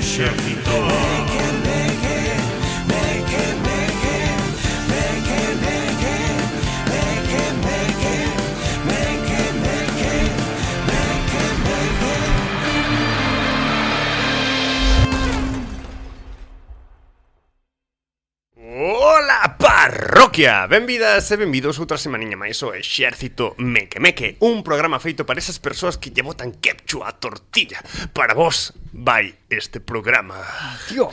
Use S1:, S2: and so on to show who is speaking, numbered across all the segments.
S1: exército. Ola, parroquia! Benvidas e benvidos outra semaniña máis ao Exército Meque Meque, un programa feito para esas persoas que lle botan ketchup á tortilla. Para vos vai este programa.
S2: Tío,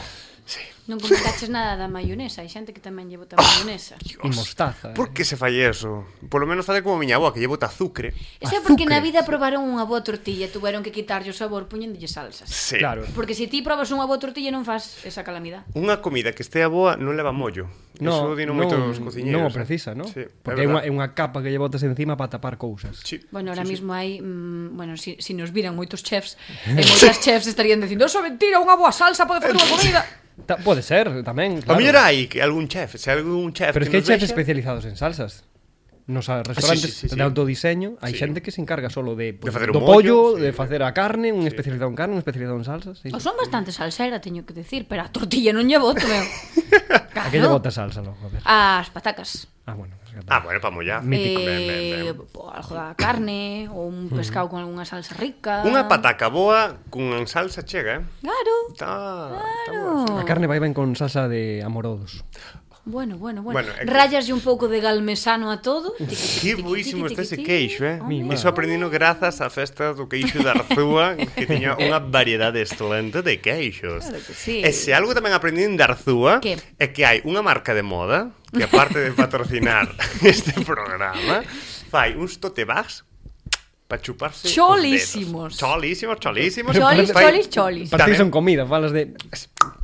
S1: Sí.
S3: Non comentaches nada da maionesa. Hai xente que tamén lle bota maionesa.
S2: e mostaza.
S1: Por que se fai eso? Por lo menos fai como miña avó, que lle bota azucre.
S3: Ese é porque
S2: Azúcar.
S3: na vida probaron unha boa tortilla e tuveron que quitarlle o sabor poñéndolle salsas.
S1: Sí.
S2: Claro.
S3: Porque se ti probas unha boa tortilla non fas esa calamidade.
S1: Unha comida que estea boa non leva mollo. Eso dino moitos cociñeiros.
S2: Non o precisa, non?
S1: Sí,
S2: Porque é
S1: verdad.
S2: unha capa que lle botas encima para tapar cousas.
S1: Sí.
S3: Bueno, ahora
S1: sí,
S3: mismo hai, bueno, si nos viran moitos chefs, e moitas chefs estarían dicindo, "Eso é mentira, unha boa salsa pode facer unha comida."
S2: Pode ser, tamén,
S1: A
S2: claro.
S1: mellor hai que algún chef, se algún chef
S2: Pero es que hai
S1: nos
S2: chefs
S1: vexa-
S2: especializados en salsas. Nos restaurantes
S1: sí, sí.
S2: de autodiseño hai
S1: Sí.
S2: xente que se encarga solo de,
S1: De facer
S2: do
S1: un mollo,
S2: pollo,
S1: sí.
S2: de facer a carne, un especializado en carne, un especializado en salsas. Sí,
S3: O
S2: sí.
S3: son bastante salsera, teño que decir, pero a tortilla non lle boto, meu.
S2: A que lle bota salsa, logo, a ver.
S3: As patacas.
S2: Ah, bueno. es que-
S1: Ah, bueno, para mollar.
S2: Mítico.
S1: Ben.
S3: Algo da carne, ou un pescado con algunha salsa rica.
S1: Unha pataca boa cun salsa chega,
S3: Claro.
S1: Está
S3: Claro.
S2: A carne vai ben con salsa de amorodos.
S3: Bueno.
S1: Bueno, é que-
S3: Rayaslle un pouco de galmesano a todo.
S1: Que boísimo está ese queixo,
S3: Home.
S1: Iso aprendino grazas á festa do queixo de Arzúa, que tiña unha variedade excelente de queixos.
S3: Claro que sí.
S1: E se algo tamén aprendín de Arzúa
S3: Que?
S1: é que hai unha marca de moda que aparte de patrocinar este programa, fai uns tote bags para chuparse
S3: Cholísimos.
S1: os dedos. Cholísimos.
S3: Cholis.
S2: Para ti
S1: Tamén-
S2: son comida, falas de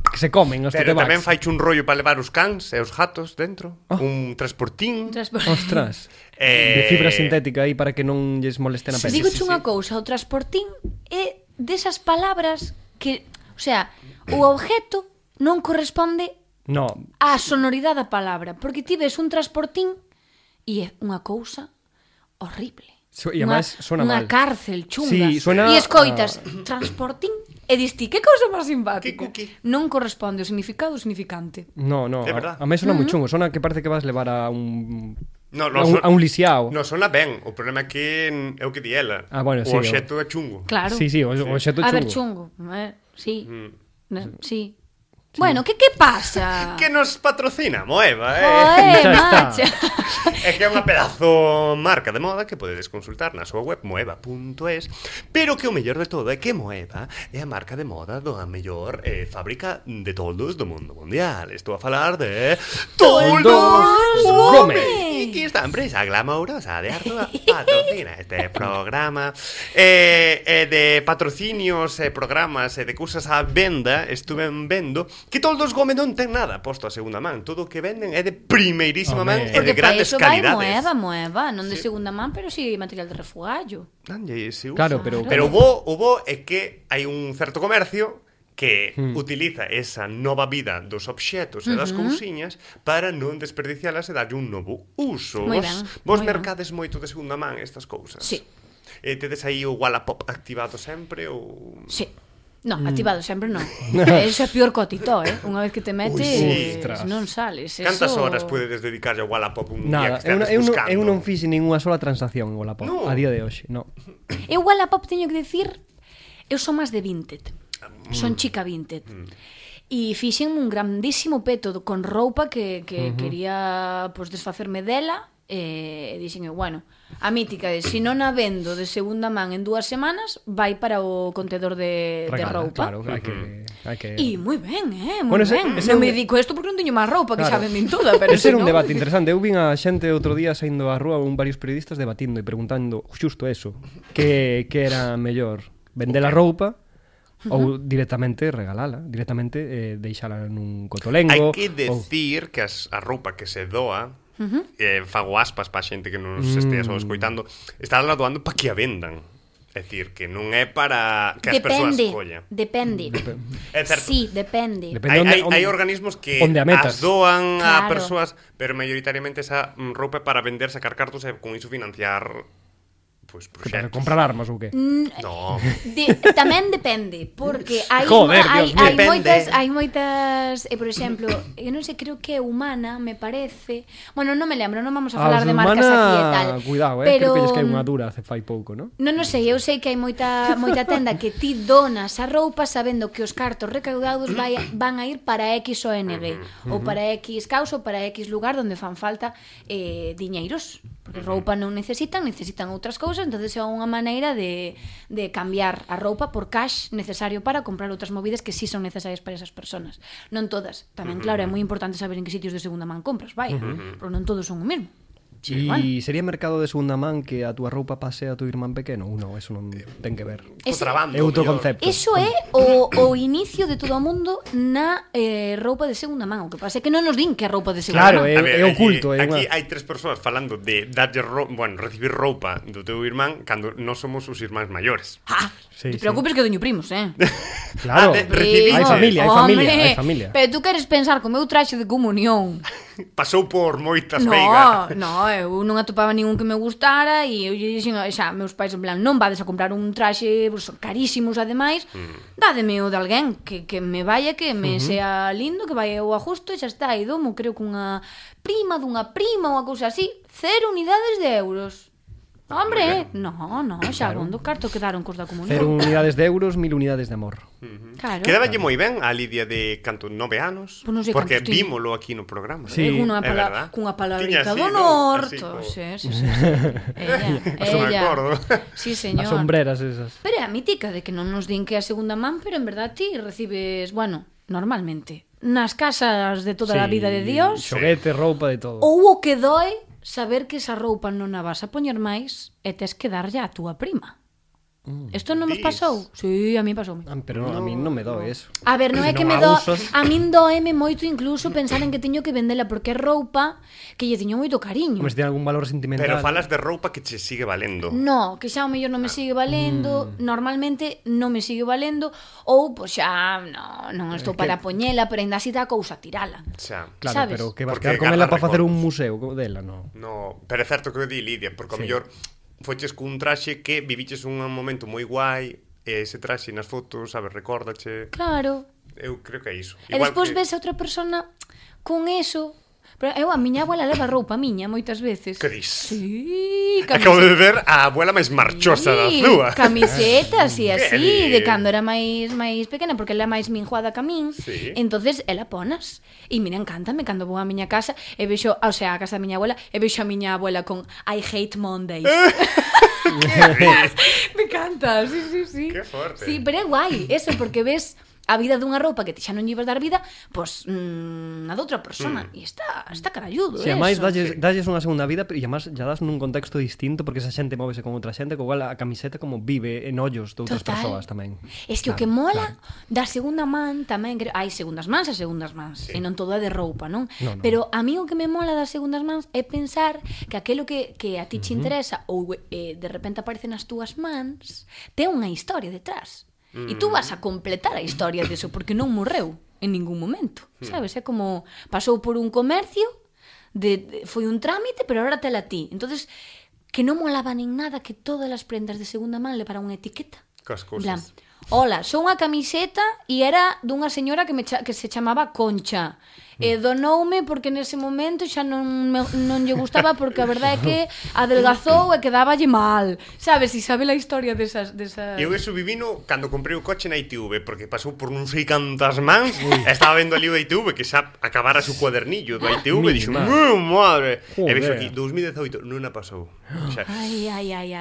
S2: que se comen os
S1: Pero tamén
S2: totebags.
S1: fai un rollo para levar os cans e os gatos dentro, un transportín.
S2: Ostras. De fibra sintética aí para que non lles moleste na pele.
S3: Digoche unha cousa, o transportín é desas palabras que, o sea, o objeto non corresponde
S2: No,
S3: á sonoridade da palabra, porque ti ves un transportín e é unha cousa horrible.
S2: E además sona
S3: unha
S2: mal.
S3: cárcel chunga.
S2: Sí, suena
S3: E escoitas transportín e dis ti, que cousa máis simpática.
S1: Que?
S3: Non corresponde o significado ao significante.
S2: no.
S1: É verdad.
S2: A mí sona moi chungo, sona que parece que vas levar a un
S1: No,
S2: a un lisiao.
S1: No, sona ben. O problema é que é o que di ela.
S2: Ah, bueno, sí,
S1: o obxecto é chungo.
S3: Claro.
S2: Sí, o xeto
S3: A ver,
S2: chungo.
S3: chungo. Sí. Sí. Bueno, que pasa?
S1: Que nos patrocina Moeva,
S3: Joder,
S2: Xa está.
S3: macha.
S1: É que é unha pedazo marca de moda que podedes consultar na súa web moeva.es. Pero que o mellor de todo é que Moeva é a marca de moda da mellor fábrica de toldos do mundo mundial. Estou a falar de
S2: Toldos
S3: Gómez.
S1: E aquí esta empresa glamourosa de Artoa patrocina este programa de patrocinios e programas e de cousas á venda. Estuve vendo que Toldos Gómez non ten nada posto a segunda man. Todo o que venden é de primeirísima man
S2: Home.
S1: e de
S3: Porque para
S1: grandes
S3: iso vai
S1: calidades.
S3: Moeva, non de segunda man, pero si material de refugallo.
S1: Danlle, se usa.
S2: Claro, pero
S1: Pero o bo é que hai un certo comercio que utiliza esa nova vida dos obxetos e das cousiñas para non desperdicialas e darlle un novo uso.
S3: Moi
S1: Vos
S3: ben.
S1: mercades moito de segunda man estas cousas?
S3: Sí.
S1: Tedes aí o Wallapop activado sempre ou...
S3: Sí. No, activado sempre non. Eso é pior cotito, Unha vez que te metes,
S1: sí.
S3: non sales.
S1: Cantas
S3: Eso...
S1: horas podedes dedicarlle ao Wallapop un
S2: nada,
S1: día que estedes buscando?
S2: eu non fixe ninguna sola transacción en Wallapop
S1: No.
S2: a día de hoxe, no.
S3: Eu Wallapop teño que decir, eu son máis de Vinted. Son chica Vinted. E fixen un grandísimo peto con roupa que quería pues, desfacerme dela e dixen, bueno, a mítica de si non a vendo de segunda man en 2 semanas vai para o contedor de
S2: Regala,
S3: roupa.
S2: claro, hai que
S3: E moi ben,
S2: Bueno,
S3: moi
S2: ese-
S3: ben.
S2: ese
S3: Non
S2: é
S3: me
S2: un-
S3: dedico a isto porque non teño máis roupa, que
S2: Claro.
S3: xa vendín toda, pero
S2: Ese era
S3: si
S2: un
S3: non-
S2: debate interesante. Eu vin a xente outro día saindo á rúa varios periodistas debatindo e preguntando xusto eso, que era mellor, vender a roupa ou directamente regalala, directamente deixala nun cotolengo.
S1: Hai que decir que a roupa que se doa, fago aspas para a xente que nos estea só escoitando, está la doando para que a vendan. É dicir, que non é para que as persoas collan.
S3: Depende.
S1: É certo.
S3: Sí, depende.
S1: Hai organismos que
S2: onde a metas.
S1: as doan a
S3: Claro.
S1: persoas, pero maioritariamente esa roupa é para vender, sacar cartos e con iso financiar pois
S2: Que para
S1: proxectos.
S2: comprar armas ou que?
S1: No.
S3: Tamén depende, porque hai
S2: Joder, Dios mío.
S1: Depende.
S3: hai moitas, por exemplo, eu non sei, creo que é humana, me parece. Bueno, non me lembro, non vamos a falar de marcas aquí e tal.
S2: Cuidado,
S3: pero
S2: creo que hai unha dura hace fai pouco, non?
S3: Non sei, eu sei que hai moita tenda que ti donas a roupa sabendo que os cartos recaudados van a ir para X ONG ou para X causa ou para X lugar onde fan falta diñeiros. Porque roupa non necesitan outras cousas, entonces é unha maneira de cambiar a roupa por cash necesario para comprar outras movidas que sí son necesarias para esas personas. Non todas. Tamén, claro, é moi importante saber en que sitios de segunda man compras, vai, pero non todos son o mesmo.
S2: E
S3: bueno.
S2: sería mercado de segunda man que a túa roupa pase a tu irmán pequeno? Ou non, eso non ten que ver.
S1: Contrabando.
S2: É outro
S1: mellor.
S2: concepto.
S3: Eso é o inicio de todo o mundo na roupa de segunda man. O que pasa é que non nos din que é roupa de segunda
S2: Claro,
S3: man.
S1: A ver,
S2: é oculto.
S1: aquí hai tres persoas falando de darlle recibir roupa do teu irmán cando non somos os irmáns maiores.
S3: Te preocupes que doño primos,
S2: Claro,
S1: recibimos.
S2: hai familia, hai familia.
S3: Pero tú queres pensar co meu traxe de comunión.
S1: Pasou por moitas veigas.
S3: No, eu non atopaba ningún que me gustara e eu lle dixen xa, meus pais en plan, non vades a comprar un traxe carísimos ademais, dádeme o de alguén que me vaya, que me sea lindo, que vaya eu a justo e xa está, e domo, creo que unha prima dunha prima ou unha cousa así, 0 unidades de euros. Hombre, no, xa bondo carto quedaron cos da comunión.
S2: 0 unidades de euros, 1000 unidades de amor.
S3: Claro.
S1: Quedáballe moi ben a Lidia de canto 9 anos,
S3: Pois non sei
S1: porque
S3: cantos tiña.
S1: vímolo aquí no programa.
S2: Sí.
S3: Cunha
S1: é verdad.
S3: palabrita
S1: Tiña así,
S3: do
S1: ¿no?
S3: norte.
S1: Así,
S3: Sí.
S1: Eso me acordo.
S3: Sí, señor.
S2: As sombreras esas.
S3: Pero é a mítica de que non nos din que é a segunda man, pero en verdad ti recibes, bueno, normalmente, nas casas de toda a vida de Dios,
S2: Xoguete, roupa, de todo.
S3: ou o que doe saber que esa roupa non a vas a poñer máis e tes que darlle á túa prima. Isto non nos pasou? Sí, a mí pasoume.
S2: Pero a mí non me doe eso.
S3: A ver, non é
S2: Se
S3: que
S2: non
S3: me
S2: a
S3: do...
S2: usas.
S3: A min doeme moito incluso pensar en que teño que vendela porque é roupa que lle teño moito cariño.
S2: Mas ten algún valor sentimental.
S1: Pero falas de roupa que che sigue valendo.
S3: No, que xa o mellor non me sigue valendo, normalmente non me sigue valendo, ou pois xa non estou para poñela, pero ainda así dá cousa tirala.
S1: Xa.
S2: Claro,
S3: sabes?
S2: pero que vas
S1: Porque
S2: quedar con ela
S1: garda
S2: para facer un
S1: recordos.
S2: museo dela, non?
S1: No, pero é certo que o di Lidia, porque ao
S2: Sí.
S1: mellor foches cun traxe que viviches un momento moi guai, e ese traxe nas fotos, sabes, recórdache.
S3: Claro.
S1: Eu creo que é iso.
S3: E despois ves a outra persona con eso. Pero eu, a miña abuela leva roupa miña moitas veces.
S1: Que dis?
S3: Sí,
S1: Acabo de ver a abuela máis marchosa da súa.
S3: Camisetas e
S1: Que
S3: así,
S1: li-
S3: de cando era máis pequena, porque ela é máis minjuada que a min.
S1: Sí.
S3: Entonces, ela ponas. E mira, encántame cando vou á miña casa e vexo, o sea, a casa da miña abuela, e vexo a miña abuela con I hate Mondays. Me encanta, sí.
S1: Que forte.
S3: Sí, pero é guai, eso, porque ves a vida dunha roupa que ti xa non lle ibas dar vida, pois a doutra persona. E está caralludo,
S2: Se ademais
S3: eso.
S2: dalles unha segunda vida, pero e ademais ya das nun contexto distinto porque esa xente móvese con outra xente, co igual a camiseta como vive en ollos de outras
S3: Total.
S2: persoas tamén.
S3: Es que o que mola da segunda man tamén, hai segundas mans e segundas mans, e non todo é de roupa, non?
S2: Non.
S3: Pero a mí o que me mola das segundas mans é pensar que aquelo que a ti te interesa ou de repente aparece nas túas mans, ten unha historia detrás. E tú vas a completar a historia deso porque non morreu en ningún momento, sabes? É como pasou por un comercio, foi un trámite, pero ahora tela ti. Entonces, que non molaba nin nada que todas as prendas de segunda man levaran unha etiqueta.
S1: Cas
S3: En plan,
S1: cousas.
S3: hola, son unha camiseta e era dunha señora que se chamaba Concha. E donoume porque nese momento xa non lle gustaba porque a verdade é que adelgazou e quedáballe mal. Sabes? E sabe a historia desas...
S1: Eu eso vivino cando comprei o coche na ITV, porque pasou por non sei cantas mans, e estaba vendo ali o ITV que xa acabara su cuadernillo do ITV, e dixo, madre, e
S2: Joder.
S1: vexo aquí, 2018 non a pasou. Xa,
S3: Ai.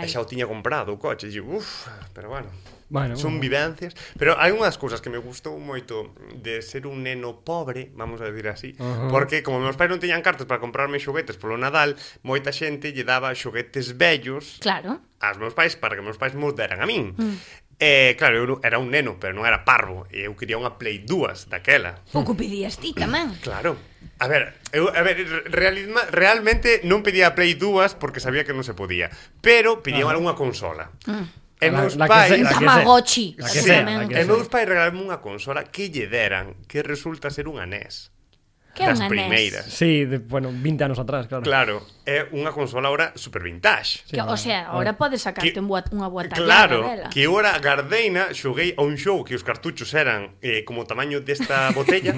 S1: e xa o tiña comprado o coche, e dixo, pero bueno.
S2: Bueno,
S1: Son vivencias. Pero hai unhas cousas que me gustou moito de ser un neno pobre, vamos a decir así, porque como meus pais non teñan cartas para comprarme xoguetes polo Nadal, moita xente lle daba xoguetes vellos
S3: Claro.
S1: aos meus pais para que meus pais mos deran a min. Claro, eu era un neno, pero non era parvo, e eu quería unha Play 2 daquela.
S3: O que pedías ti tamén.
S1: Claro. A ver, realmente non pedía a Play 2 porque sabía que non se podía, pero pedía algunha consola. E meus
S2: La que
S1: pais...
S2: sea, la que
S3: Tamagotchi.
S2: La que
S1: Sí,
S2: sea,
S3: tamén.
S2: la que
S1: e meus pais regalarme unha consola que lle deran, que resulta ser unha NES.
S3: Que é
S1: das
S3: unha NES?
S1: primeiras.
S2: Sí, bueno, 20 anos atrás, claro.
S1: Claro, é unha consola ahora super vintage.
S3: Que, o sea, ahora podes sacarte
S1: Que-
S3: unha boa tallada
S1: Claro,
S3: dela.
S1: que eu era gardeina, xoguei a un xogo que os cartuchos eran como o tamaño desta botella,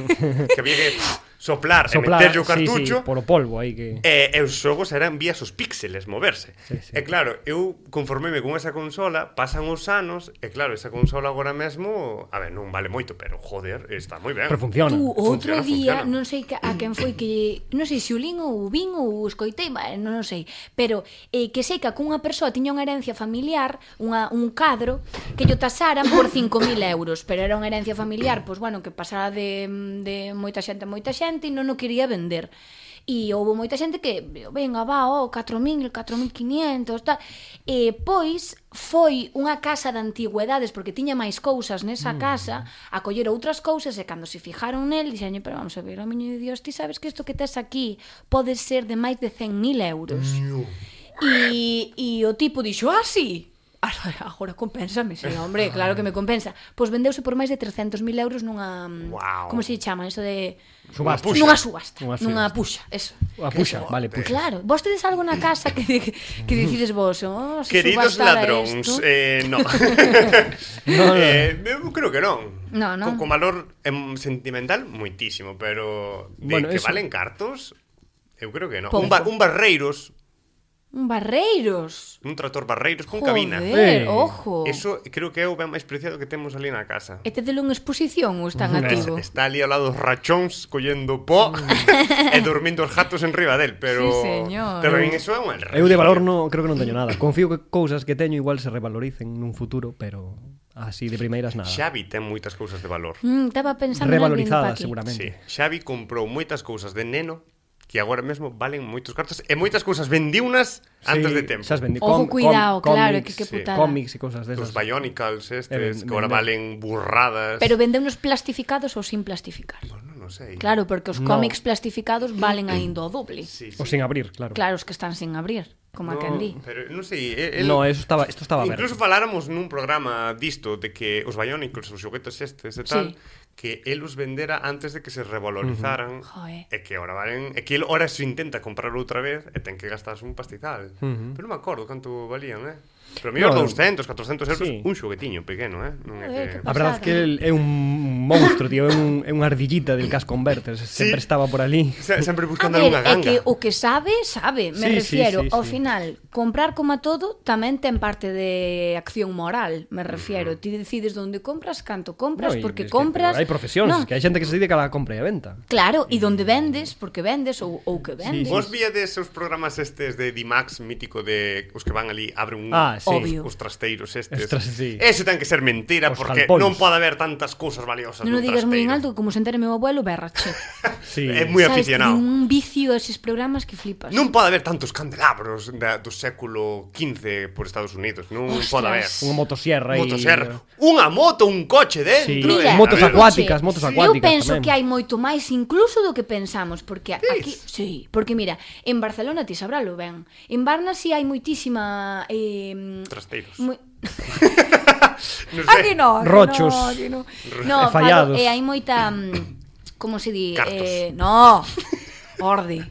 S1: que había que soplar e meterlle o cartucho.
S2: Sí, por o polvo aí que...
S1: E os xogos eran vías os píxeles moverse.
S2: Sí, sí.
S1: E claro, eu conformeme con esa consola, pasan os anos, e claro, esa consola agora mesmo, a ver, non vale moito, pero joder, está moi ben.
S2: Pero funciona.
S3: Tú, outro
S1: Funciona,
S3: día,
S1: funciona.
S3: non sei a quen foi que... Non sei se o lin ou o vin ou o escoitei, non sei. Pero que sei que cunha persoa tiña unha herencia familiar, un cadro, que lle tasaran por 5.000 euros. Pero era unha herencia familiar, pois bueno, que pasara de moita xente a moita xente e non o quería vender. E houve moita xente que, venga, va, 4.000, 4.500, tal. E pois foi unha casa de antigüedades, porque tiña máis cousas nesa casa, a coller outras cousas, e cando se fijaron nel, dixenlle, pero vamos a ver, o miño de Dios, ti sabes que isto que tes aquí pode ser de máis de 100.000 euros. E o tipo dixo, sí, agora compénsame, sí, hombre, claro que me compensa. Pois vendeuse por máis de 300.000 euros nunha...
S1: Wow.
S3: Como se chama? Eso de...
S2: Subasta.
S3: Nunha subasta.
S2: Unha
S3: Nunha
S2: subasta.
S3: puxa, eso.
S2: A puxa, vale, puxa.
S3: Claro, vos tedes algo na casa que decides vos, se
S1: Queridos
S3: subastara
S1: ladróns,
S3: esto?
S1: no.
S2: No.
S1: Eu creo que non.
S3: No, no.
S1: Con valor sentimental, moitísimo, pero de
S2: Bueno,
S1: que
S2: eso-
S1: valen cartos, eu creo que non.
S3: Pouco.
S1: Un Barreiros,
S3: Un Barreiros.
S1: un tractor Barreiros con
S3: Joder,
S1: cabina.
S3: ojo.
S1: Eso creo que é o ben máis preciado que temos ali na casa.
S3: E tedelo en exposición ou está en activo?
S1: Está ali ao lado dos rachóns collendo pó e dormindo os gatos en riba del, pero
S3: Sí, señor.
S1: pero en eso é un error.
S2: Eu de valor no, creo que non teño nada. Confío que cousas que teño igual se revaloricen nun futuro, pero así de primeiras nada.
S1: Xavi ten moitas cousas de valor.
S3: Estaba pensando en alguén
S2: Revalorizadas,
S3: pa aquí.
S2: seguramente.
S1: Sí, Xavi comprou moitas cousas de neno que agora mesmo valen moitos cartos e moitas cousas vendiunas antes de tempo.
S2: Xa as vendí.
S3: Ojo, cuidado, claro,
S2: cómics,
S3: que
S1: sí.
S3: putada.
S2: Cómics e cousas
S1: Os
S2: desas.
S1: Bionicles estes, que agora
S2: venden.
S1: valen burradas.
S3: Pero vende unos plastificados ou sin plastificar?
S1: Bueno, non sei.
S3: Claro, porque os
S2: No.
S3: cómics plastificados valen aínda o doble.
S1: Sí,
S2: O sin abrir, claro.
S3: Claro, os que están sin abrir, como a quen di.
S1: Pero non sei,
S2: No, isto estaba
S1: incluso
S2: aberto.
S1: faláramos nun programa disto de que os Bionicles, os xoguetes estes e tal,
S3: Sí.
S1: que el os vendera antes de que se revalorizaran
S3: Joder.
S1: e que ahora valen, e que el ahora se intenta comprar outra vez e ten que gastarse un pastizal. Pero non me acordo canto valían, Pero mellor
S2: No,
S1: 200, 400 euros
S2: sí.
S1: un xoguetiño pequeno, Non é
S3: Joder,
S1: que...
S3: que
S2: A verdade é que el é un monstro, tío, é unha ardillita del Cash Converters, sempre estaba por ali.
S1: Sempre
S3: A
S1: buscando
S3: ver,
S1: algunha
S3: é
S1: ganga.
S3: que o que sabe, sabe. Me
S2: Sí, sí,
S3: refiero,
S2: sí,
S3: ao
S2: sí.
S3: final, comprar como a todo tamén ten parte de acción moral, me refiero. Ti decides onde compras, canto compras,
S2: No, e
S3: porque
S2: es que
S3: compras...
S2: hai profesións,
S3: Non,
S2: que hai xente que se dedica a la compra e a venta.
S3: Claro, e donde vendes, porque vendes ou que vendes.
S1: Vos víades os programas estes de Dimax mítico de os que van ali, abren
S2: Sí.
S3: Obvio.
S1: os trasteiros estes.
S2: Sí.
S1: Eso ten que ser mentira
S2: Os
S1: porque
S2: jalpóns.
S1: non pode haber tantas cousas valiosas
S3: Non o
S1: nun
S3: digas moi en
S1: trasteiro.
S3: alto, que como se entere meu abuelo, berrache.
S2: Sí.
S1: É moi
S3: Sabes,
S1: aficionado.
S3: tiene un vicio a eses programas que flipas.
S1: Non pode haber tantos candelabros do século XV por Estados Unidos. Non
S3: Ostras.
S1: pode haber.
S2: Unha motosierra e...
S1: Motosierra. Unha moto, un coche
S2: Sí.
S1: dentro.
S3: Mira,
S2: motos
S1: a ver,
S2: acuáticas, motos
S3: Eu
S2: acuáticas
S3: penso
S2: tamén.
S3: que hai moito máis incluso do que pensamos, porque aquí, sí, porque mira, en Barcelona ti sabralo ben. En Barna si hai moitísima
S1: Trasteiros. Non sei.
S3: Aquí no, aquí
S2: Rochos.
S3: no, aquí no. No,
S2: fallados.
S3: hai moita como se di?
S1: Cartos.
S3: No. Orde.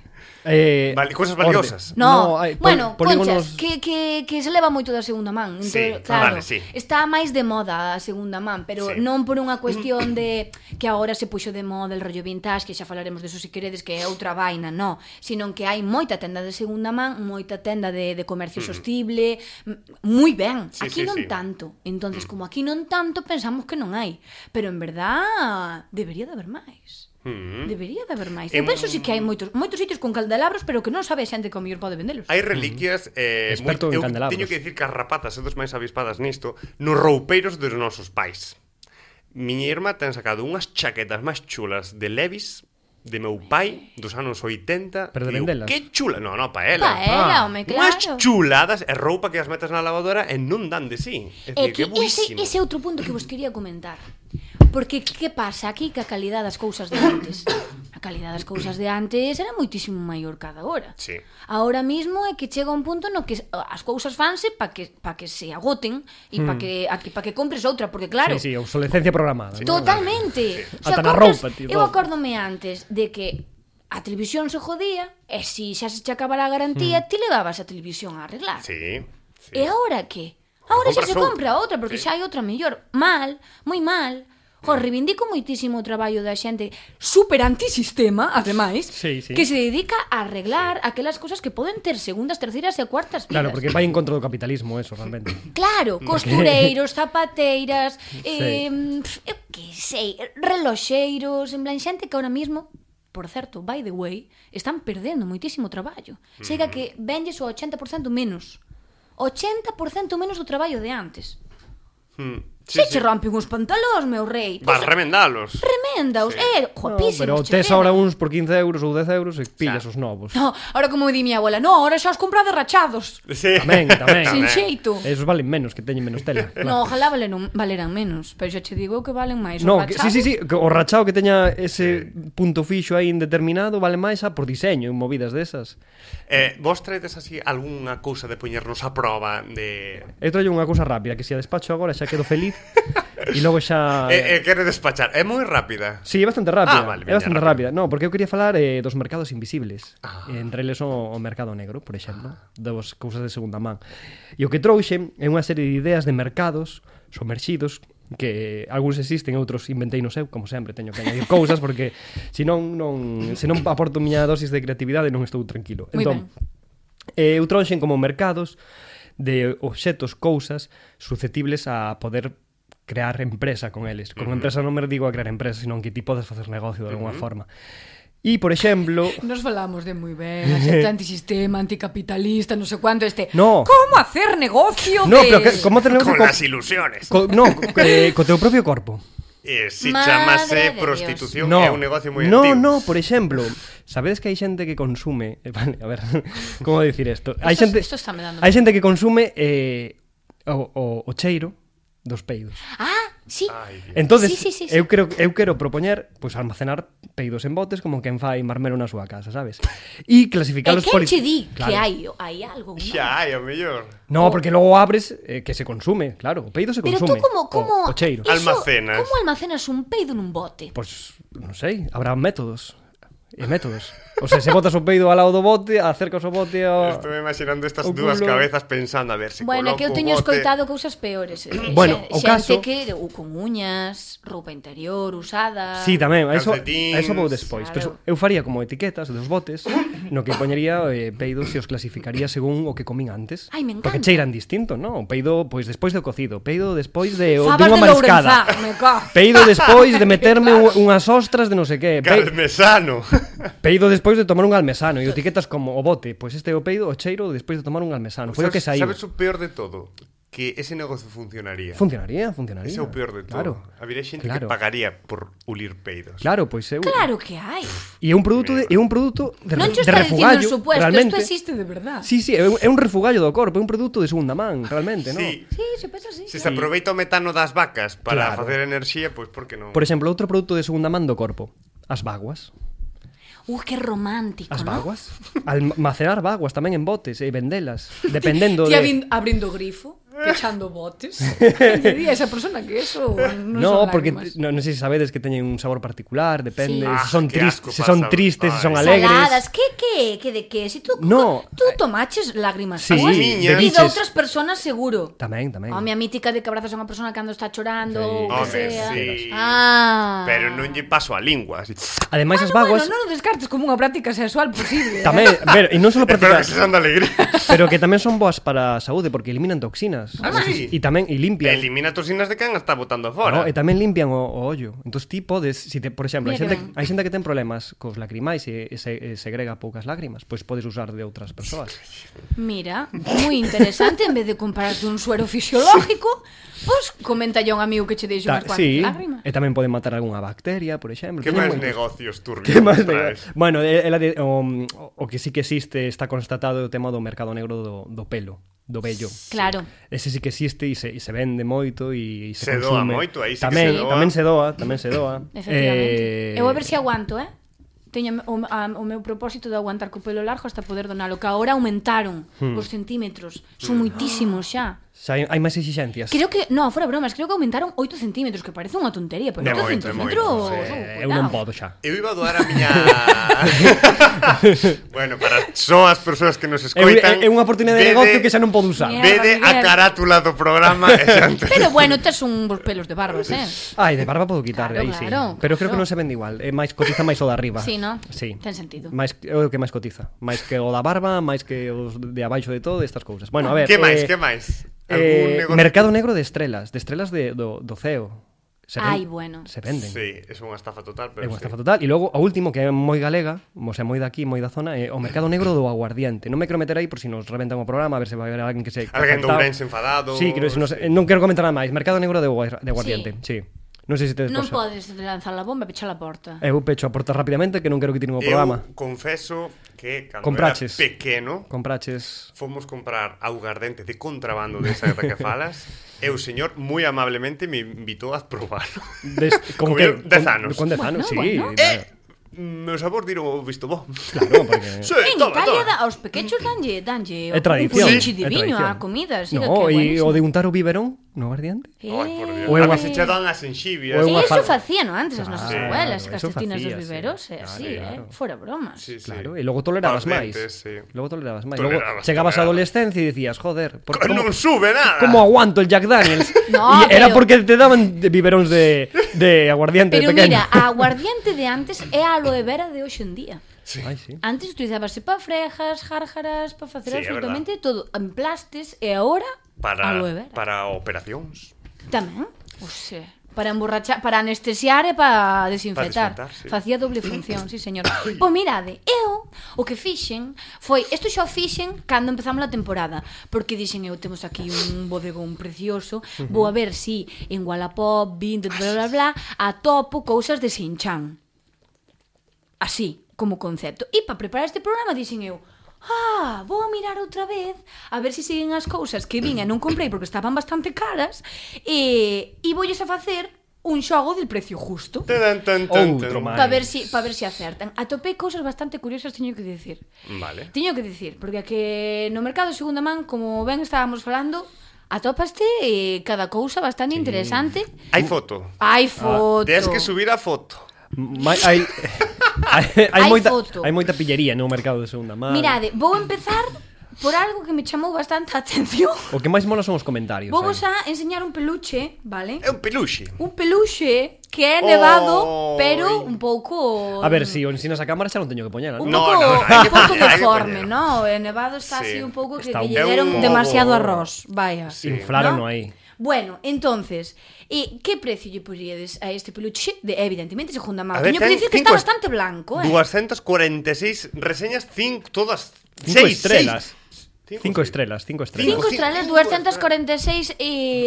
S1: Vale, cosas valiosas.
S3: No,
S2: hai
S3: bueno,
S2: polígonos...
S3: conchas, que se leva moito da segunda man.
S1: Sí,
S3: Claro,
S1: vale, sí.
S3: está máis de moda a segunda man, pero
S1: Sí.
S3: non por unha cuestión de que agora se puxo de moda el rollo vintage, que xa falaremos deso se queredes, que é outra vaina, no, sino que hai moita tenda de segunda man, moita tenda de comercio sostible, moi ben.
S1: Sí,
S3: Aquí
S1: sí,
S3: non
S1: sí.
S3: tanto. Entonces, como aquí non tanto, pensamos que non hai, pero en verdad debería de haber máis. Debería de haber máis. Eu penso si que hai moitos sitios con candelabros, pero que non sabe a xente que ao mellor pode vendelos.
S1: Hai reliquias
S2: Experto en
S1: eu
S2: candelabros.
S1: teño que dicir que as rapatas e dos máis avispadas nisto nos roupeiros dos nosos pais. Miña irmá ten sacado unhas chaquetas máis chulas de Levi's de meu pai dos anos 80.
S2: Pero de
S1: Digo,
S2: vendelas.
S1: que chula. No, pa ela.
S3: Home,
S1: Unhas
S3: claro.
S1: chuladas e roupa que as metes na lavadora e non dan de sí. É
S3: É
S1: dicir, que
S3: que ese
S1: buísimo.
S3: é outro punto que vos quería comentar. Porque que pasa aquí que a calidad das cousas de antes? A calidad das cousas de antes era moitísimo maior cada hora.
S1: Sí.
S3: Ahora mismo é que chega un punto no que as cousas fanse para que se agoten e para que compres outra, porque claro,
S2: Sí, obsolescencia programada. ¿no?
S3: totalmente.
S2: Ata na roupa, tío,
S3: Eu
S2: todo.
S3: acórdome antes de que a televisión se jodía, e se xa se che acabara a garantía, ti levabas a televisión a arreglar.
S1: Sí.
S3: E agora que? Agora xa
S1: Compras
S3: se compra outra, porque xa hai outra mellor. Mal, moi mal. Reivindico moitísimo o traballo da xente super antisistema, ademais, que se dedica a arreglar aquelas cosas que poden ter segundas, terceiras e cuartas vidas.
S2: Claro, porque vai en contra do capitalismo, eso, realmente.
S3: Claro, costureiros, zapateiras, eu que sei, reloxeiros, en plan xente que ahora mismo, por certo, by the way, están perdendo moitísimo traballo. Chega que venlles o 80% menos. 80% menos do traballo de antes. Se che rompen os pantalóns, meu rei.
S1: Vas remendalos.
S3: Reméndaos, guapísimos.
S2: Pero tes ahora uns por 15 euros ou 10 euros e pillas os novos.
S3: No, ahora como di mi abuela, no, ahora xa os comprade rachados.
S1: Sí.
S2: Tamén.
S3: Sin xeito.
S2: Esos valen menos, que teñen menos tela.
S3: No, ojalá valeran menos, pero xa che digo que valen máis.
S2: No, sí, o rachado que teña ese punto fixo aí indeterminado vale máis por diseño, en movidas desas.
S1: Vos traedes así algunha cousa de poñernos a prova de...
S2: Eu traio unha cousa rápida, que se a despacho agora xa quedo feliz. E logo xa...
S1: quere despachar, é moi rápida.
S2: Sí, é bastante rápida.
S1: Vale,
S2: é bastante rápida. No, porque eu quería falar dos mercados invisibles. Entre eles o mercado negro, por exemplo, das cousas de segunda man. E o que trouxe é unha serie de ideas de mercados somerxidos que algúns existen, outros inventei no seu, como sempre, teño que añadir cousas porque se non aporto miña dosis de creatividade non estou tranquilo. Entón, eu trouxen como mercados de obxetos, cousas susceptibles a poder crear empresa con eles. Con empresa non me digo a crear empresa, senón que ti podes facer negocio de alguna forma. E, por exemplo...
S3: Nos falamos de moi ben, a xente antisistema, anticapitalista, non sei cuánto
S2: No.
S3: Como hacer negocio
S2: No, pero como hacer negocio...
S1: Con las ilusiones.
S2: Co teu propio corpo.
S1: Si chamase prostitución é un negocio moi
S2: antigo.
S1: No,
S2: por exemplo, sabedes que hai xente que consume... Vale, a ver, como dicir isto? Hai xente que consume o cheiro dos peidos.
S3: Sí.
S2: Entonces, sí. Eu quero propoñer, pois, almacenar peidos en botes como quen fai marmelo na súa casa, sabes? E clasificalos por...
S3: E quen che di que hai algo, non?
S1: Xa hai, o mellor.
S2: No, porque logo abres que se consume, claro, o peido se consume.
S3: Pero tú como
S2: o cheiro.
S1: Almacenas.
S3: Como almacenas un peido nun bote?
S2: Pois, non sei, habrá métodos. O sea, se botas o peido ao lado do bote, acercas o bote ao...
S1: Estou imaginando estas dúas cabezas pensando a ver se
S3: bueno, que eu teño escoitado cousas peores.
S2: Bueno, o caso...
S3: Xente que con uñas, roupa interior usada...
S2: Sí, tamén, eso vou despois.
S3: Claro.
S2: Pero eu faría como etiquetas dos botes no que poñería peidos e os clasificaría según o que comín antes.
S3: Ai, me encanta.
S2: Porque cheiran distinto, non? O peido, pois, despois do cocido. Peido despois de
S3: unha
S2: mariscada. Peido despois de meterme unhas ostras de non sei que.
S1: Carmesano.
S2: Peido despois de tomar un almesano. E etiquetas como o bote. Pois este é o peido, o cheiro despois de tomar un almesano. Foi o que saíu.
S1: Sabes o peor de todo? Que ese negocio funcionaría.
S2: Funcionaría.
S1: Ese é o peor de todo.
S2: Claro.
S1: Habría xente que pagaría por ulir peidos.
S2: Claro, pois eu...
S3: Claro que hai.
S2: E é un produto de
S3: non te está
S2: refugallo,
S3: dicindo supuesto,
S2: realmente.
S3: Isto existe de verdad.
S2: Sí, é un refugallo do corpo, é un produto de segunda man, realmente, non?
S1: Sí,
S3: se pensa así.
S1: Se aproveita o metano das vacas para facer enerxía, pois por que non?
S2: Por exemplo, outro produto de segunda man do corpo, as vaguas.
S3: Que romántico,
S2: as
S3: ¿no?
S2: vaguas. Almacenar vaguas tamén en botes e vendelas, dependendo
S3: de... abrindo grifo, pechando botes. Que diría esa persona que eso non son
S2: porque non sei se sabedes que teñen un sabor particular, depende, se son tristes, se son alegres.
S3: Saladas, que de que? Si tú tomaches lágrimas
S2: túas
S3: e de outras persoas seguro.
S2: Tamén.
S3: A miña mítica de que abrazas a unha persona cando está chorando,
S1: o
S3: que sea.
S1: Pero non lle paso a lingua.
S2: Ademais as vaguas...
S3: non o descartes como unha práctica sexual posible.
S2: Tamén, e non só práctica...
S1: Espero que se sean de alegría.
S2: Pero que tamén son boas para a saúde porque eliminan toxinas.
S1: Sí.
S2: E tamén limpian.
S1: Elimina toxinas de can está botando fora.
S2: E tamén limpian o ollo. Entón ti podes, por exemplo, hai xente que ten problemas cos lacrimais e segrega poucas lágrimas, pois podes usar de outras persoas.
S3: Mira, moi interesante, en vez de comprarte un suero fisiológico, pois comenta a un amigo que che deixe unhas cuantas lágrimas.
S2: E tamén poden matar algunha bacteria, por exemplo.
S1: Que máis negocios turbios traes?
S2: Bueno, o que sí que existe, está constatado o tema do mercado negro do pelo, do vello.
S3: Claro.
S2: Ese sí que existe e se vende moito e se consume.
S1: Doa moito, aí sí que se doa.
S2: Tamén se doa.
S3: Efectivamente. Eu a ver se aguanto, Teño o meu propósito de aguantar co pelo largo hasta poder donalo, que agora aumentaron os centímetros. Son moitísimos xa.
S2: Xa hai máis exixencias.
S3: Creo que, no, fora bromas, creo que aumentaron 8 centímetros, que parece unha tontería, pero
S1: De
S3: 8
S1: moito, de
S3: centímetros...
S1: moito,
S2: Eu non podo xa.
S1: Eu iba a doar a miña... Bueno, para só as persoas que nos
S2: É
S1: escoitan...
S2: unha oportunidade de negocio que xa non podo usar.
S3: Mierda.
S1: Vede a carátula do programa e xa entende.
S3: Pero bueno, tes uns pelos de barbas,
S2: Ai, de barba podo quitar,
S3: Claro,
S2: aí sí.
S3: claro,
S2: Pero creo que
S3: claro.
S2: non se vende igual. É máis cotiza máis o de arriba.
S3: Sí, no?
S2: Sí.
S3: Ten sentido.
S2: É o que máis cotiza. Máis que o da barba, máis que os de abaixo de todo, estas cousas. Bueno, a ver.
S1: Que máis, que máis?
S2: Mercado negro de estrelas do ceo.
S3: Ai, bueno.
S2: Se venden.
S1: Sí, é unha estafa total, pero
S2: É unha estafa total. E logo, o último, que é moi galega, o sea, moi daqui, moi da zona, é o mercado negro do aguardiente. Non me quero meter aí por si nos reventan o programa, a ver se vai haber alguén que se...
S1: Alguén do
S2: afectado.
S1: Ourense enfadado.
S2: Sí, non quero comentar nada máis. Mercado negro de aguardiente, sí. Non sei se tedes
S3: Non
S2: cosa.
S3: podes lanzar a bomba e pechar a porta.
S2: Eu pecho a porta rapidamente que non quero que tiren o programa.
S1: Eu confeso que cando
S2: Compraches.
S1: era pequeno
S2: Compraches...
S1: fomos comprar aguardente de contrabando desa que falas e o señor moi amablemente me invitou a probarlo.
S2: Con
S1: Con
S2: que?
S1: 10 anos.
S2: Con 10 anos,
S3: Bueno,
S2: sí.
S3: bueno.
S1: Meu sabor diron o visto bo.
S2: Claro, porque...
S1: Sí,
S3: En
S1: toma,
S3: Italia
S1: toma.
S3: aos pequechos danlle
S2: É tradición.
S3: un pulinchi
S2: É
S3: divino
S2: tradición.
S3: a comida, así
S2: No,
S3: que
S2: e
S3: buenísimo.
S2: o de untar o biberón no aguardiente?
S1: Ai, por Dios.
S2: O é
S1: A
S2: unha-
S1: ver se che dan as enxivias.
S2: o é unha
S3: Eso
S2: fa-
S3: facían antes as nosas
S2: Claro,
S3: abuelas,
S2: eso
S3: castetinas dos
S2: facía, sí.
S3: viveros, é
S2: Claro,
S3: así,
S2: claro.
S3: fora bromas.
S1: Sí, sí.
S2: Claro, e logo tolerabas
S1: Paus
S2: máis.
S1: dientes, sí.
S2: Logo tolerabas máis.
S1: Tolerabas,
S2: Logo chegabas á
S1: tolerabas.
S2: adolescencia e dicías, joder,
S1: Non sube nada.
S2: como aguanto el Jack Daniels?
S3: No,
S2: E era
S3: pero-
S2: porque te daban biberóns de aguardiente
S3: Pero
S2: de pequeno.
S3: mira, a aguardiente de antes é a aloe vera de hoxe en día.
S1: Sí.
S2: Ai, sí.
S3: Antes utilizábase para frejas, járjaras, para facer
S1: Sí, é
S3: absolutamente todo, emplastes, e agora aloe vera.
S1: Para operacións.
S3: Tamén, o sea, para emborrachar, para anestesiar e para desinfectar.
S1: Para desinfectar, sí.
S3: Facía doble función, sí, señor. Pois mirade, eu o que fixen foi, isto xa o fixen cando empezamos a temporada, porque dixen eu temos aquí un bodegón precioso, vou a ver si en Wallapop, Vinted, bla bla bla, atopo cousas de Shin-chan. Así, como concepto. E para preparar este programa dixen eu, vou a mirar outra vez a ver se siguen as cousas que vin e non comprei porque estaban bastante caras e voulles a facer un xogo del precio justo
S2: Outro máis.
S3: para ver si acertan. Atopei cousas bastante curiosas, teño que dicir.
S1: Vale.
S3: Teño que dicir, porque a que no mercado de segunda man, como ben estábamos falando, atópaste cada cousa bastante interesante.
S1: Hai foto.
S3: Hai foto.
S1: Tens que subir a foto.
S2: Hai
S3: Hai foto.
S2: hai moita pillería no mercado de segunda man.
S3: Mirade, vou empezar por algo que me chamou bastante a atención.
S2: O que máis mola son os comentarios.
S3: Vou vos
S2: aí.
S3: a enseñar un peluche, vale?
S1: É un peluxe.
S3: Un peluche que é nevado,
S1: Oi.
S3: pero un pouco...
S2: A ver, si o ensinas a cámara xa non teño que poñela,
S3: Un
S2: non?
S1: No,
S3: pouco,
S1: no, hai que
S3: un pouco
S1: poñer, hai que
S3: deforme,
S1: poñer.
S3: ¿no? El nevado está
S1: Sí.
S3: así un pouco que
S2: Está
S3: lle
S2: un
S3: deron
S1: pouco-
S3: demasiado arroz, vaya.
S1: Sí.
S2: Inflaron
S3: ¿no?
S2: aí.
S3: Bueno, entonces, que precio lle poríades a este peluche? Evidentemente, segunda mano.
S1: A ver,
S3: Teño que
S1: ten
S3: dicir que está
S1: cinco
S3: bastante blanco,
S1: 246 reseñas, todas
S2: 5
S1: seis,
S2: estrelas.
S1: seis.
S2: 5 estrelas, 5 estrellas.
S3: 5
S1: Cinco
S3: estrelas,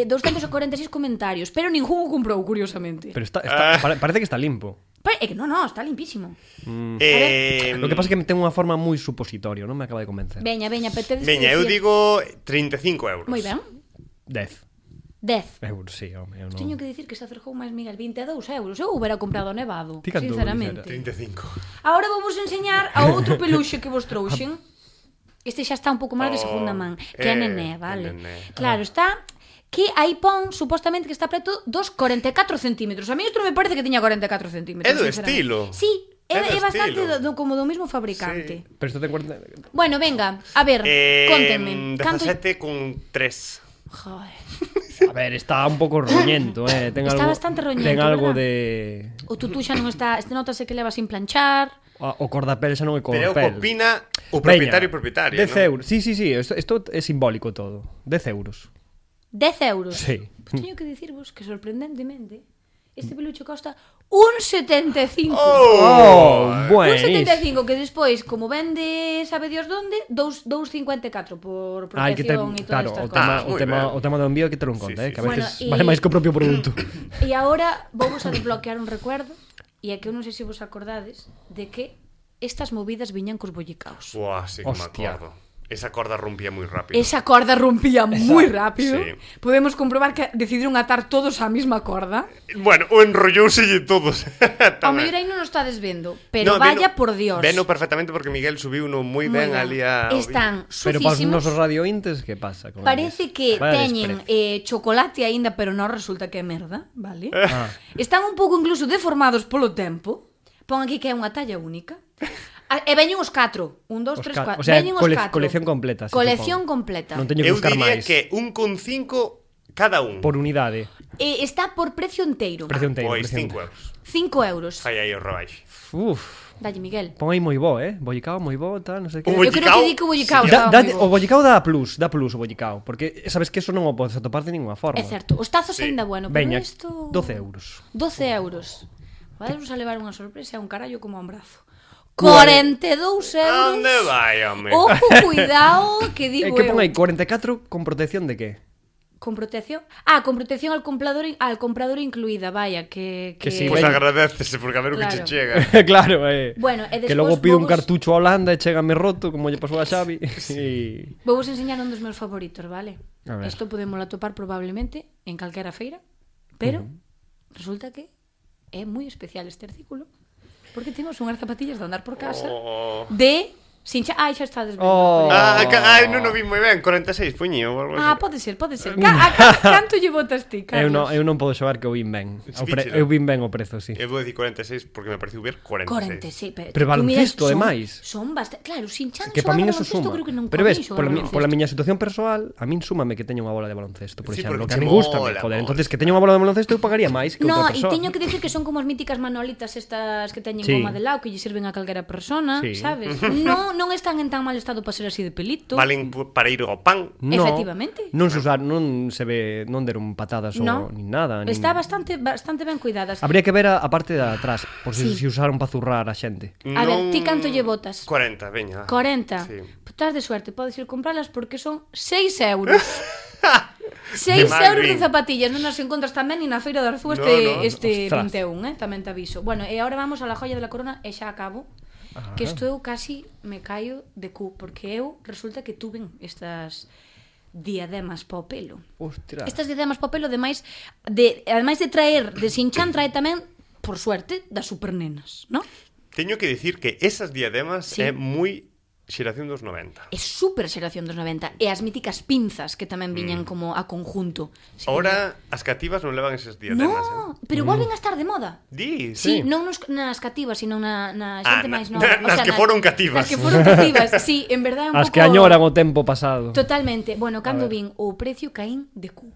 S3: 246 comentarios, pero ningún o comprou, curiosamente.
S2: Pero
S1: Ah.
S2: parece que está limpo.
S3: É que no, está limpísimo.
S2: Lo que pasa é que ten unha forma moi supositorio, non me acaba de convencer.
S3: Veña, petedes
S1: Veña,
S3: que
S1: eu
S3: dicir...
S1: digo 35 euros.
S3: Moi ben.
S2: 10
S3: 10.
S2: euros, sí, home, eu non...
S3: Teño que dicir que se acercou máis Miguel, 22 euros. Eu hubiera comprado nevado,
S2: Ti canto
S3: sinceramente.
S1: 35.
S3: Agora vou vos enseñar a outro peluxe que vos trouxen. Este xa está un pouco máis de segunda man, que é Nené, vale?
S1: Nené.
S3: Claro, está que aí pon, supostamente, que está preto dos 44 centímetros. A mí isto me parece que tiña 44 centímetros.
S1: É do
S3: sinceramente.
S1: estilo.
S3: Sí,
S1: É do
S3: é bastante
S1: estilo.
S3: como do mismo fabricante.
S2: Pero isto ten cuenta...
S3: Bueno, venga, a ver, contenme.
S1: 17 con 3.
S3: Joder.
S2: A ver, está un pouco roñento, ten
S3: Está
S2: algo,
S3: bastante roñento,
S2: ten algo
S3: ¿verdad?
S2: de...
S3: O tutú xa non está, este notase que leva sin planchar.
S2: O cordapel xa non é
S1: Pero
S2: cordapel.
S1: opina o propietario e propietaria,
S2: 10
S1: ¿no?
S2: euros. Sí, isto é simbólico todo. 10 euros.
S3: 10 euros.
S2: Sí.
S3: Pues teño que dicirvos que sorprendentemente este peluche costa un 75.
S2: Oh,
S3: Un
S2: bueno.
S3: 75 que despois, como vende sabe Dios donde, 2,54 por
S2: Hai que ter,
S3: protección e todas
S2: claro,
S3: estas
S2: o tema,
S3: cosas.
S2: o
S1: moi
S2: tema,
S1: ben.
S2: o tema do envío hai que ter en conta,
S1: Sí,
S2: que a
S1: sí.
S2: veces
S3: Bueno,
S2: vale máis que o propio produto.
S3: E agora vamos a desbloquear un recuerdo, e é que eu non sei se vos acordades de que estas movidas viñan cos bollicaos.
S1: Buah, sí que me
S2: Hostia.
S1: acordo. Esa corda rompía moi rápido.
S3: Esa corda rompía moi rápido.
S1: Sí.
S3: Podemos comprobar que decidiron atar todos á mesma corda.
S1: Bueno, o enrollouselle todos.
S3: Ao mellor aí non o estades vendo, pero vaya por Dios.
S1: Veno perfectamente porque Miguel subiu uno moi ben ali a...
S3: Están
S2: Pero para os
S3: sufísimos.
S2: nosos radiointes, que pasa? Con
S3: Parece
S2: eles?
S3: que
S2: Vaya
S3: teñen
S2: desprecio.
S3: chocolate aínda, pero non resulta que é merda, vale?
S2: Ah.
S3: Están un pouco incluso deformados polo tempo. Pon aquí que é unha talla única. E veñen os 4. 1, 2, 3, 4.
S2: O sea,
S3: Veñen os 4.
S2: colección completa, se
S3: Colección
S2: supón.
S3: completa.
S2: Non teño que
S1: Eu
S2: buscar
S1: diría
S2: máis.
S1: que 1,5 cada un.
S2: Por unidade.
S3: Está por precio enteiro.
S2: Precio enteiro.
S1: Pois
S2: precio
S1: 5
S2: enteiro.
S1: euros.
S3: 5 euros.
S1: Fai aí o robaixo.
S2: Uf.
S3: Dalle, Miguel.
S2: Pon aí moi bo, Bollicao, moi bo, tal, non sei que.
S1: O
S3: Eu creo
S1: bollicao,
S3: que di que o bollicao
S1: sí,
S3: estaba moi
S2: O
S3: bo.
S2: bollicao dá plus o bollicao, porque sabes que eso non o podes atopar de ninguna forma.
S3: É certo. Os tazos
S1: Sí.
S3: aínda bueno, pero
S2: Veña,
S3: isto...
S2: 12 euros.
S3: 12 euros. Vamos a levar unha sorpresa e un carallo como a un brazo. 42 euros.
S1: Onde vai, home?
S3: Ojo, cuidado, que digo
S2: Que pon
S3: eu.
S2: aí 44 con protección de que?
S3: Con protección? Con protección al comprador incluída, vaya, que...
S2: Que sí,
S1: Pois
S2: veña.
S1: agradecese, porque a ver o que che
S3: Claro.
S1: chega.
S2: Claro,
S3: Bueno, e
S2: que
S3: despois
S2: logo pido un
S3: vamos-
S2: cartucho a Holanda e chégame roto, como lle pasou a Xavi. E...
S3: Vou vos enseñar un dos meus favoritos, vale?
S2: A ver.
S3: Isto podemos atopar probablemente en calquera feira, pero resulta que é moi especial este artículo, porque temos unhas zapatillas de andar por casa
S1: Oh.
S3: de... Ai, xa estades vendo.
S2: Oh.
S1: Non o vi moi ben, 46 puño ou algo así.
S3: Pode ser. Canto lle botas ti, Carlos?
S2: Eu non podo xogar que eu vin ben.
S1: Víchelo.
S2: Eu vin ben o prezo, sí.
S1: Eu vou dicir 46 porque me pareceu ver 46.
S3: 46,
S2: Pero
S3: tú
S2: baloncesto,
S3: miras,
S2: ademais.
S3: Son bastante... Claro, sin chan
S2: Que para min eso
S3: baloncesto,
S2: suma.
S3: creo que non
S2: Pero ves,
S3: coneixo baloncesto.
S2: pola miña situación persoal, a min súmame que teña unha bola de baloncesto, por
S1: Sí,
S2: exemplo,
S1: porque
S2: que a
S1: che
S2: min gusta,
S1: mola,
S2: joder,
S1: mola.
S2: entonces que teña unha bola de baloncesto eu pagaría máis que
S3: No,
S2: outra
S3: e
S2: persoa.
S3: teño que dicir que son como as míticas manolitas estas que teñen
S2: Sí.
S3: goma de lao que lle sirven a calquera persona,
S2: Sí.
S3: sabes? Non están en tan mal estado para ser así de pelito.
S1: Valen para ir ao pan.
S2: No,
S3: Efectivamente.
S2: Non se usar, non se ve, non deron patadas
S3: No.
S2: ou nin nada.
S3: Está bastante ben cuidadas.
S2: Habría que ver a parte de atrás, por si,
S3: Sí.
S2: si usaron para zurrar a xente.
S3: A ver, ti canto lle botas?
S1: 40, veña.
S3: 40.
S1: Sí.
S3: Estás de suerte, podes ir compralas porque son 6 euros. 6
S1: Que mal
S3: euros de
S1: vin.
S3: zapatillas, non as encontras tamén ni na Feira de Arzúa
S1: No,
S3: este
S2: ostras.
S3: 21, tamén te aviso. Bueno, e agora vamos a la joya de la corona e xa acabo. Que isto eu casi me caio de cu, porque eu resulta que tuven estas diademas pa o pelo.
S2: Ostras.
S3: Estas diademas pa o pelo, ademais de traer de Sinchan, trae tamén, por suerte, das supernenas, non?
S1: Teño que dicir que esas diademas
S3: Sí.
S1: é moi xeración dos 90.
S3: É super xeración dos 90. E as míticas pinzas que tamén viñan como a conjunto. Sí,
S1: Ahora as cativas non levan esas diademas,
S3: No, pero volven a estar de moda.
S1: Di,
S3: Sí, non nas cativas, sino na xente máis nova.
S1: nas que foron cativas.
S3: Nas que foron cativas, sí, en verdade é un
S2: As
S3: pouco...
S2: que añoran o tempo pasado.
S3: Totalmente. Bueno, cando
S2: ver.
S3: vin o precio caín de cu.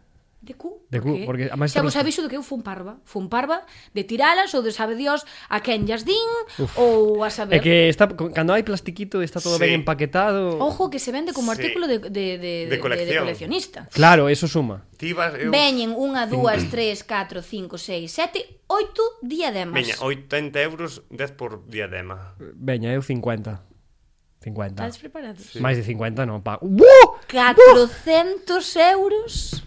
S3: De cu,
S2: De cu, porque a máis
S3: xa
S2: tra-
S3: vos aviso de que eu fun parva de tiralas ou de sabe Dios a quen llas din ou a saber.
S2: É que está, cando hai plastiquito está todo
S1: Sí.
S2: ben empaquetado.
S3: Ojo que se vende como
S1: Sí.
S3: artículo de
S1: colección.
S3: coleccionista.
S2: Claro, eso suma.
S1: Ti vas, eu...
S3: Veñen 1, 2, 3, 4, 5, 6, 7, 8 diademas.
S1: Veña, 80 euros 10 por diadema.
S2: Veña, eu 50. 50.
S3: Estades preparados?
S2: Máis de 50 non pago. ¡Buah!
S3: 400 euros.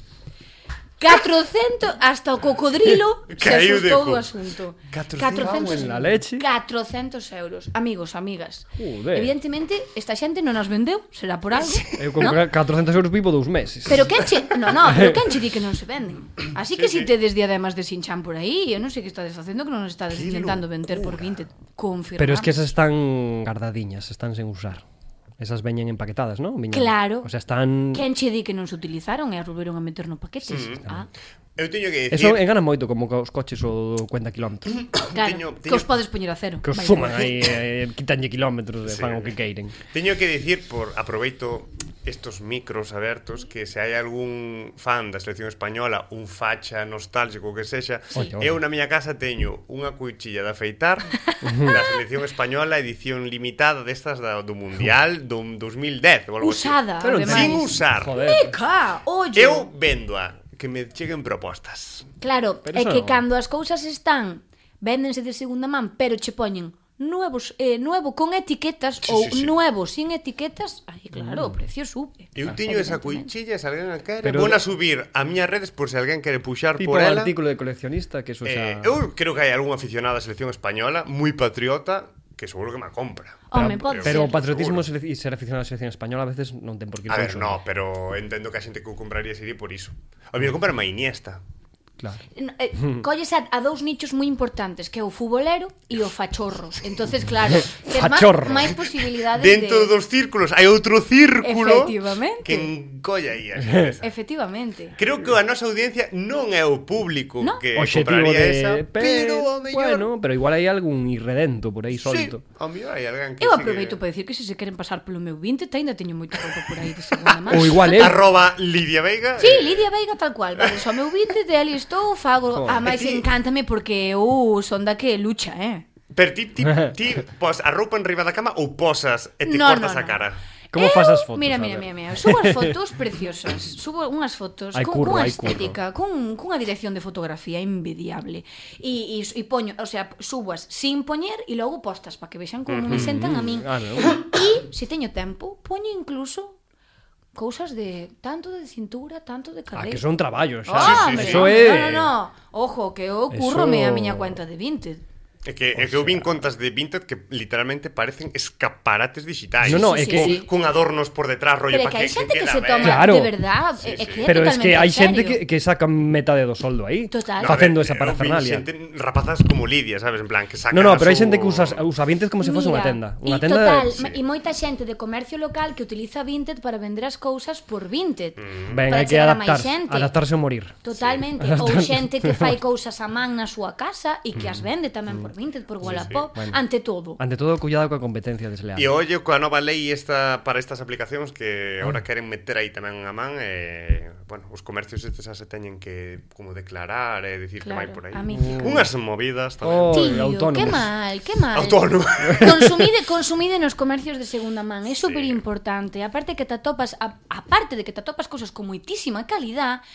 S3: 400 hasta o cocodrilo se
S1: Caíu de
S3: asustou
S1: cu.
S3: do asunto.
S1: 400
S2: en la leche.
S3: 400 euros. Amigos, amigas.
S2: Joder.
S3: Evidentemente, esta xente non as vendeu, será por algo.
S2: Eu con
S3: ¿no?
S2: 400 euros vivo 2 meses.
S3: Pero quen che... No, pero quen che di que non se venden? Así que si tedes diademas de Sinchan por aí, eu non sei que estades facendo que non os estades
S1: Que
S3: intentando vender por 20. Confirmamos.
S2: Pero es que esas están guardadiñas, están sen usar. Esas veñen empaquetadas, ¿no? Viñan...
S3: Claro.
S2: O sea, están...
S3: Quen che di que non se utilizaron e as volveron a meter no paquete?
S1: Eu teño que
S2: Eso
S1: dicir...
S2: engana moito como os coches o 50 km.
S3: Claro,
S1: Teño-
S3: que os podes poñer a cero.
S2: Que os
S3: Vai,
S2: suman
S3: vai.
S2: aí, quitanlle kilómetros e
S1: Sí.
S2: fan o que queiren.
S1: Teño que dicir, aproveito estos micros abertos, que se hai algún fan da selección española, un facha nostálgico que sexa,
S2: Oye.
S1: eu na miña casa teño unha cuchilla de afeitar da selección española, edición limitada destas do Mundial do 2010 ou algo así.
S3: Usada,
S2: Pero
S3: ademais.
S1: Sin usar.
S2: Joder.
S3: Meca, ollo.
S1: Eu véndoa, que me cheguen propostas.
S3: Claro,
S2: Pero
S3: é
S2: eso
S3: que
S2: non.
S3: cando as cousas están véndense de segunda man, pero che poñen nuevo con etiquetas
S1: Sí,
S3: ou
S1: sí, sí.
S3: nuevo sin etiquetas, aí claro, o precio sube.
S1: Eu tiño esa cuchilla, se alguén a quere,
S2: Pero-
S1: vou a subir a miñas redes por se alguén quere puxar
S2: Tipo
S1: por ela.
S2: artículo de coleccionista, que eso xa...
S1: Eu creo que hai algún aficionado á selección española moi patriota que seguro que me compra.
S3: Home, pode
S2: Pero o
S3: ser.
S2: patriotismo e ser aficionado á selección española a veces non ten por que ir
S1: A
S2: con
S1: ver,
S2: eso.
S1: no, pero entendo que a xente que o compraría sería por iso. A mí comprar má Iniesta.
S2: Claro.
S3: Colles a dous nichos moi importantes, que é o futbolero e o fachorros. Entonces, claro, tes
S2: Fachorro.
S3: máis posibilidades
S1: Dentro
S3: de...
S1: dos círculos hai outro círculo
S3: Efectivamente.
S1: que encolla aí a xente.
S3: Efectivamente.
S1: Creo que a nosa audiencia non é o público
S3: No.
S1: que
S2: Objetivo
S1: compraría
S2: de...
S1: esa, pero ao mellor...
S2: Bueno, pero igual hai algún irredento por aí
S1: Sí,
S2: solto.
S1: ao mellor hai alguén que
S3: Eu
S1: sí
S3: aproveito
S1: que...
S3: para decir que se queren pasar polo meu 20, ainda teño moita roupa por aí de segunda man.
S2: Ou igual
S1: Arroba Lidia Veiga.
S3: Sí, Lidia Veiga tal cual, vale, só meu 20 de ali estou, fago, a máis
S1: E ti-
S3: encántame porque son da que lucha,
S1: Pero ti pos a roupa enriba da cama ou posas e te
S3: No,
S1: cortas
S3: no,
S1: a
S3: no.
S1: cara?
S2: Como fas as fotos?
S3: Mira,
S2: A
S3: mira,
S2: ver.
S3: mira, mira. Subo as fotos preciosas. Subo unhas fotos
S2: Hai curro,
S3: cunha
S2: hai curro.
S3: estética, cunha dirección de fotografía envidiable. E poño, o sea, subas sin poñer e logo postas para que vexan como me sentan a min.
S2: Ah, no.
S3: E, se teño tempo, poño incluso cousas de tanto de cintura, tanto de
S2: Ah,
S3: cabelo.
S2: que son traballos, xa.
S3: Ah,
S1: sí, sí.
S2: Eso é...
S3: No. Ojo, que eu currome
S2: Eso-
S3: a miña cuenta de Vinted.
S1: É que eu vin contas de Vinted que literalmente parecen escaparates digitais.
S2: No, no,
S3: Sí,
S2: é
S3: sí,
S2: que...
S3: sí.
S1: Con adornos por detrás, rollo,
S3: Pero é
S1: para
S3: que hai xente que
S1: queda
S3: se
S1: ben.
S3: toma
S2: Claro.
S3: de verdad,
S1: Sí,
S3: é
S1: sí.
S3: que é
S2: Pero es que
S3: totalmente
S2: hai
S3: en
S2: xente
S3: serio.
S2: que sacan metade do soldo aí.
S3: Total.
S1: No, a
S2: Facendo
S1: ver,
S2: esa
S1: eu vi
S2: parafernalia.
S1: xente, rapazas como Lidia, sabes, en plan, que sacan
S2: No,
S1: a
S2: pero hai
S1: súa-
S2: xente que usa Vinted como se fose unha tenda. Unha
S3: e
S2: tenda...
S3: total,
S1: sí.
S3: e moita xente de comercio local que utiliza Vinted para vender as cousas por Vinted.
S2: Ben,
S3: para
S2: hai que
S3: chegar a máis
S2: adaptarse ou morir.
S3: Totalmente. Ou xente que fai cousas a man na súa casa e que as vende tamén por Vinted, por Wallapop,
S2: Bueno.
S3: ante todo.
S2: Ante todo, cuidado coa competencia desleal.
S1: E ollo coa nova lei esta para estas aplicacións que agora queren meter aí tamén a man bueno, os comercios estes xa se teñen que como declarar e dicir que vai
S3: Claro,
S1: por aí.
S3: a mítica.
S1: Unhas movidas tamén.
S2: Oh,
S3: Tío,
S2: autónomos.
S3: que mal, que mal.
S1: Autónomo.
S3: Consumide nos comercios de segunda man, é super importante. Aparte de que te atopas cousas con moitísima calidad,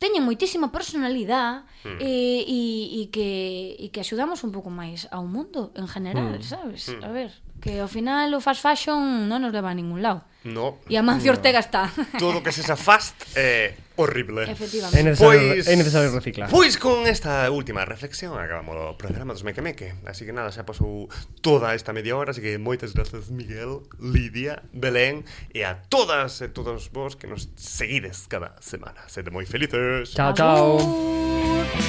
S3: teñen moitísima personalidade e que axudamos un pouco máis ao mundo en general, sabes? A ver, que ao final o fast fashion non nos leva a ningún lado.
S1: No.
S3: E a Mancio Ortega está.
S1: Todo que sexa fast é horrible.
S2: É
S3: Efectivamente.
S2: necesario reciclar.
S1: Pois con esta última reflexión acabamos o programa dos Meque Meque. Así que nada, xa pasou toda esta media hora. Así que moitas grazas, Miguel, Lidia, Belén e a todas e todos vos que nos seguides cada semana. Sede moi felices.
S2: Chao, chao.
S3: Agur.